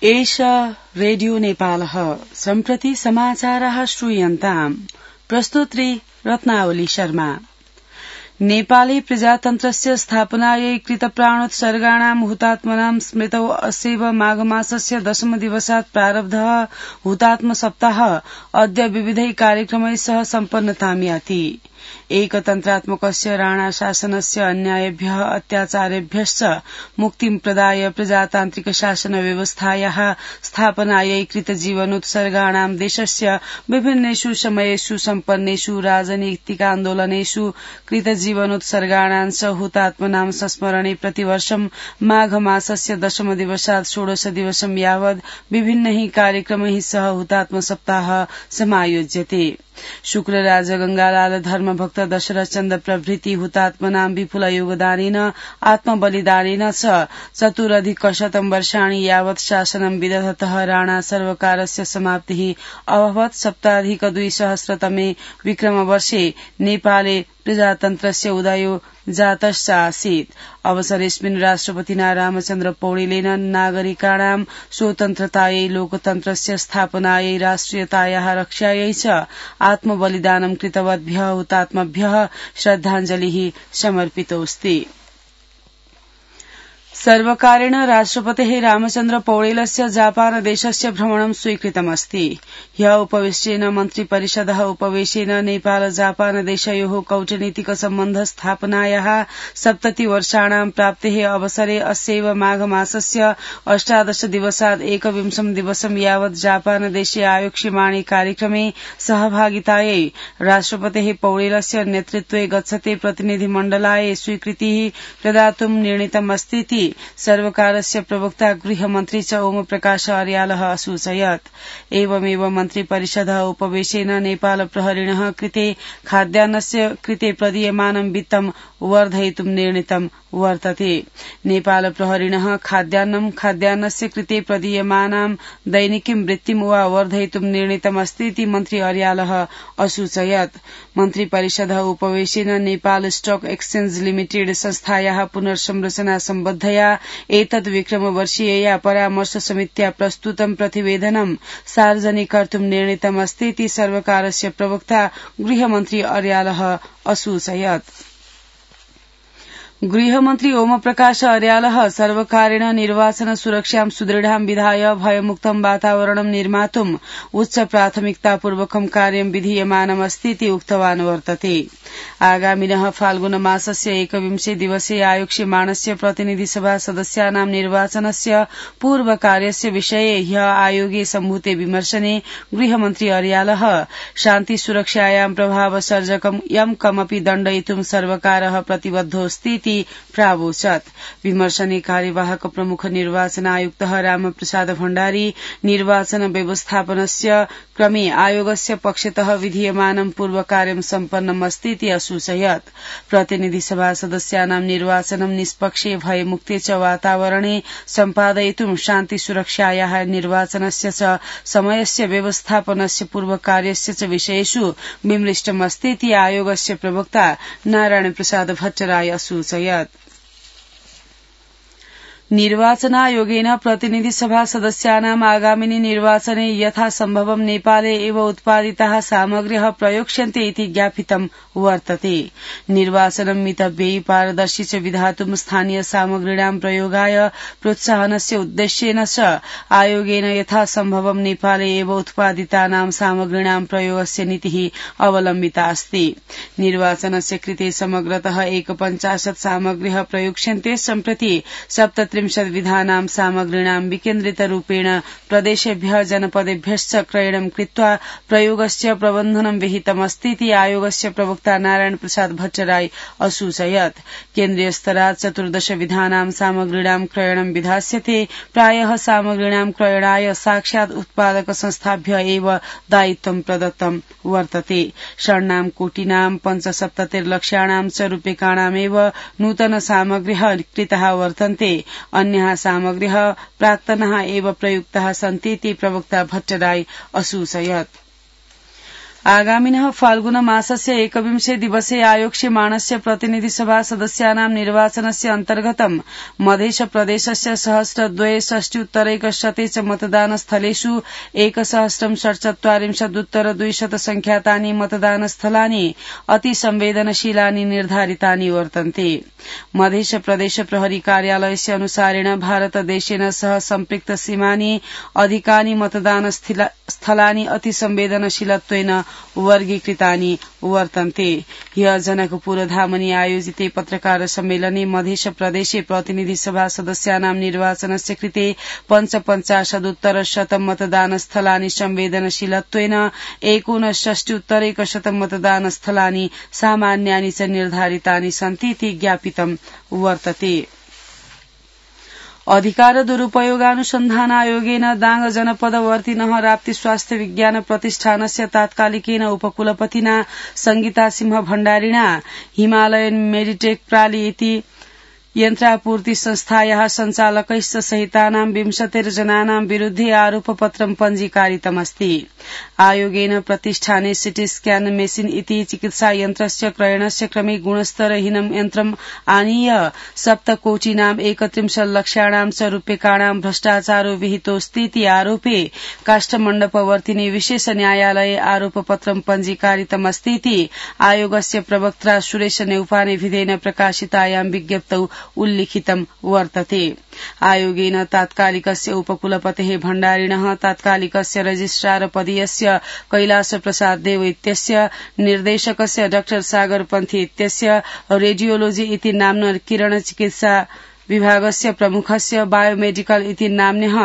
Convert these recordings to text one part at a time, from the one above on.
एष रेडियो नेपालः सम्प्रति समाचारः श्रूयन्ताम्। प्रस्तुत्री रत्नावली शर्मा। नेपाली प्रजातन्त्रस्य स्थापनायै कृतप्राणोत्सर्गाणां हुतात्मनां स्मृतौ अस्यैव माघमासस्य 10 दिवसात् प्रारब्धः हुतात्म सप्ताहः अद्य विविधै कार्यक्रमैः सह सम्पन्नतां याति। एकतन्त्रात्मकस्य राणा शासनस्य अन्यायेभ्यः अत्याचारेभ्यश्च मुक्तिं प्रदाय प्रजातान्त्रिक शासन व्यवस्थायाः स्थापनायै कृतजीवनोत्सर्गाणां देशस्य विभिन्नेषु समयेषु सम्पन्नेषु राजनीतिकान्दोलनेषु कृतजीवनोत्सर्गाणां च हुतात्मनां संस्मरणे प्रतिवर्षं माघमासस्य 10 दिवसात् 16 दिवसं यावत् विभिन्नैः कार्यक्रमैः सह हुतात्म सप्ताहः समायोज्यते। शुक्रराज गंगालाल धर्मभक्त दशरथ चन्द्र प्रभृति हुतात्मनां विपुल योगदानेन आत्मबलिदानेन च 4+ वर्षाणि यावत् शासनं विदधतः राणा सर्वकारस्य समाप्तिः अभवत्। 7+200 विक्रमवर्षे नेपाले प्रजातन्त्रस्य उदयो जातश्च आसीत्। अवसरेऽस्मिन् राष्ट्रपतिना रामचन्द्र पौडेलेन नागरिकाणां स्वतन्त्रतायै लोकतन्त्रस्य स्थापनायै राष्ट्रियतायाः रक्षायै च आत्मबलिदानं कृतवद्भ्यः हुतात्मभ्यः श्रद्धाञ्जलिः समर्पितोऽस्ति। सर्वकारेण राष्ट्रपतेः रामचन्द्र पौडेलस्य जापान देशस्य भ्रमणं स्वीकृतमस्ति। ह्यः उपवेशनेन मन्त्रिपरिषदः उपवेशेन नेपाल जापान देशयोः कूटनीतिक सम्बन्ध स्थापनायाः 70 वर्षाणां प्राप्तेः अवसरे अस्यैव माघमासस्य 18 दिवसात् 21 दिवसं यावत् जापान देशे आयोक्ष्यमाणे कार्यक्रमे सहभागितायै राष्ट्रपतेः पौडेलस्य नेतृत्वे गच्छते प्रतिनिधिमण्डलाय स्वीकृतिः प्रदातुं निर्णीतमस्तीति सर्वकारस्य प्रवक्ता गृहमन्त्री च ओम प्रकाश अर्यालः असूचयत्। एवमेव मन्त्रिपरिषदः उपवेशेन नेपाल प्रहरिणः कृते खाद्यान्नस्य कृते प्रदीयमानं वित्तं वर्धयितुं निर्णीतं वर्तते। नेपाल प्रहरिणः खाद्यान्नस्य कृते प्रदीयमानां दैनिकीं वृत्तिं वा वर्धयितुं निर्णीतमस्तीति मन्त्री अर्यालः असूचयत्। मन्त्रिपरिषदः उपवेशेन नेपाल स्टक एक्सचेंज लिमिटेड संस्थायाः पुनर्संरचना सम्बद्धया एतद् विक्रमवर्षीयया परामर्श समित्या प्रस्तुतं प्रतिवेदनं सार्वजनिकर्तुं निर्णीतमस्तीति सर्वकारस्य प्रवक्ता गृहमन्त्री अर्यालः असूचयत्। गृहमन्त्री ओम प्रकाश अर्यालः सर्वकारेण निर्वाचन सुरक्षां सुदृढां विधाय भयमुक्तं वातावरणं निर्मातुम् उच्च प्राथमिकतापूर्वकं कार्यं विधीयमानमस्तीति उक्तवान् वर्तते। आगामिनः फाल्गुन मासस्य 21 दिवसे आयोक्ष्यमाणस्य प्रतिनिधिसभा सदस्यानां निर्वाचनस्य पूर्वकार्यस्य विषये ह्यः आयोगे सम्भूते विमर्शने गृहमन्त्री अर्यालः शान्ति सुरक्षायां प्रभावसर्जकं यं कमपि दण्डयितुं सर्वकारः प्रतिबद्धोऽस्तीति प्रावोचत्। विमर्शने कार्यवाहक प्रमुख निर्वाचन आयुक्तः रामप्रसाद भण्डारी निर्वाचन व्यवस्थापनस्य क्रमे आयोगस्य पक्षतः विधीयमानं पूर्वकार्यं सम्पन्नमस्तीति असूचयत्। प्रतिनिधिसभा सदस्यानां निर्वाचनं निष्पक्षे भयमुक्ते च वातावरणे सम्पादयितुं शान्ति सुरक्षायाः निर्वाचनस्य च समयस्य व्यवस्थापनस्य पूर्वकार्यस्य च विषयेषु विमृष्टमस्तीति आयोगस्य प्रवक्ता नारायण प्रसाद भट्टराय असूचयत्। निर्वाचनायोगेन प्रतिनिधिसभा सदस्यानाम् आगामिनि निर्वाचने यथासम्भवं नेपाले एव उत्पादिताः सामग्र्यः प्रयोक्ष्यन्ते इति ज्ञापितं वर्तते। निर्वाचनं मितव्ययी पारदर्शी च विधातुं स्थानीय सामग्रीणां प्रयोगाय प्रोत्साहनस्य उद्देश्येन च आयोगेन यथासम्भवं नेपाले एव उत्पादितानां सामग्रीणां प्रयोगस्य नीतिः अवलम्बिता अस्ति। निर्वाचनस्य कृते समग्रतः 51 सामग्र्यः प्रयोक्ष्यन्ते। सम्प्रति 37 विधानां सामग्रीणां विकेन्द्रितरूपेण प्रदेशेभ्यः जनपदेभ्यश्च क्रयणं कृत्वा प्रयोगस्य प्रबन्धनं विहितमस्तीति आयोगस्य प्रवक्ता नारायण प्रसाद भट्टराय असूचयत्। केन्द्रीय स्तरात् 14 विधानां सामग्रीणां क्रयणं विधास्यते। प्रायः सामग्रीणां क्रयणाय साक्षात् उत्पादक संस्थाभ्य एव दायित्वं प्रदत्तं वर्तते। षण्णां कोटिनां 75 लक्षाणां च रूप्यकाणामेव नूतन सामग्र्यः कृताः वर्तन्ते। अन्याः सामग्र्यः प्राक्तनाः एव प्रयुक्ताः सन्तीति प्रवक्ता भट्टराय असूचयत्। आगामिनः फाल्गुन मासस्य 21 दिवसे आयोक्ष्यमाणस्य प्रतिनिधिसभा सदस्यानां निर्वाचनस्य अन्तर्गतं मध्यप्रदेशस्य 1,260,100 च मतदानस्थलेषु 1,47,200 संख्यातानि मतदानस्थलानि अतिसंवेदनशीलानि निर्धारितानि वर्तन्ते। मध्यप्रदेश प्रहरी कार्यालयस्य अनुसारेण भारतदेशेन सह सम्पृक्त सीमानि अधिकानि मतदानस्थलानि अतिसंवेदनशीलत्वेन वर्गीकृतानि वर्तन्ते। ह्य जनकपुरधामनि आयोजिते पत्रकार सम्मेलने मध्यप्रदेशे प्रतिनिधिसभा सदस्यानां निर्वाचनस्य कृते 55,100 मतदानस्थलानि संवेदनशीलत्वेन 59,100 मतदानस्थलानि सामान्यानि च निर्धारितानि सन्ति इति ज्ञापितं वर्तते। अधिकार दुरूपयोगानुसन्धानायोगेन दाङ जनपदवर्तिनः राप्ती स्वास्थ्य विज्ञान प्रतिष्ठानस्य तात्कालिकेन उपकुलपतिना संगीता सिंह भण्डारिणा हिमालयन मेडिटेक प्राली इति यन्त्रापूर्ति संस्थायाः सञ्चालकैश्च सहितानां 20 जनानां विरुद्धे आरोपपत्रं पञ्जीकारितमस्ति। आयोगेन प्रतिष्ठाने सिटी स्क्यान मेशिन इति चिकित्सा यन्त्रस्य क्रयणस्य क्रमे गुणस्तरहीनं यन्त्रम् आनीय 7 कोटिनां 31 लक्षाणां च रूप्यकाणां भ्रष्टाचारो विहितोऽस्तीति आरोपे काष्ठमण्डपवर्तिनि विशेष न्यायालये आरोपपत्रं पञ्जीकारितमस्तीति आयोगस्य प्रवक्ता सुरेश नेउपानेभिधेन प्रकाशितायां विज्ञप्तौ उल्लिखितं वर्तते। आयोगेन तात्कालिकस्य उपकुलपतेः भण्डारिणः तात्कालिकस्य रजिस्ट्रार पदीयस्य कैलाश प्रसाद देव इत्यस्य निर्देशकस्य डॉ सागर पन्थी इत्यस्य रेडियोलोजी इति नाम्न किरण चिकित्सा विभागस्य प्रमुखस्य बायोमेडिकल इति नाम्न्यः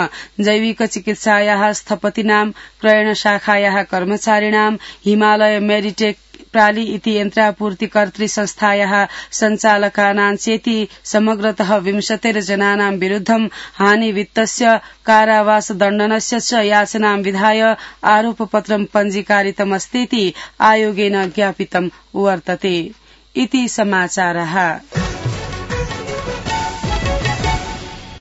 जैविक चिकित्सायाः स्थपतीनां क्रयण शाखायाः कर्मचारिणां हिमालय मेडिटेक प्राली इति यन्त्रापूर्तिकर्तृ संस्थायाः सञ्चालकानां चेति समग्रतः 20 जनानां विरुद्धं हानिवित्तस्य कारावास दण्डनस्य च याचनां विधाय आरोपपत्रं पञ्जीकारितमस्तीति आयोगेन ज्ञापितं वर्तते। इति समाचारः।